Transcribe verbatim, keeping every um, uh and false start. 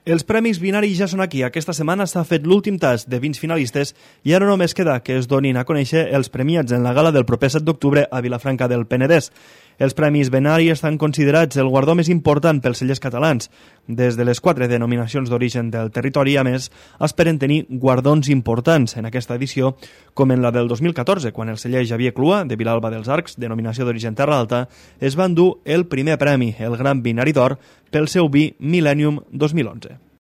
Els Premis Binari ja són aquí. Aquesta setmana s'ha fet l'últim tast de vins finalistes i ara només queda que es donin a conèixer els premiats en la gala del proper set d'octubre a Vilafranca del Penedès. Els Premis Binari estan considerats el guardó més important pels cellers catalans. Des de les quatre denominacions d'origen del territori, a més, esperen tenir guardons importants en aquesta edició, com en la del dos mil catorze, quan el celler Xavier Clua, de Vilalba dels Arcs, denominació d'origen Terra Alta, es va endur el primer premi, el Gran Binari d'Or, pel seu vi Millennium dos mil onze.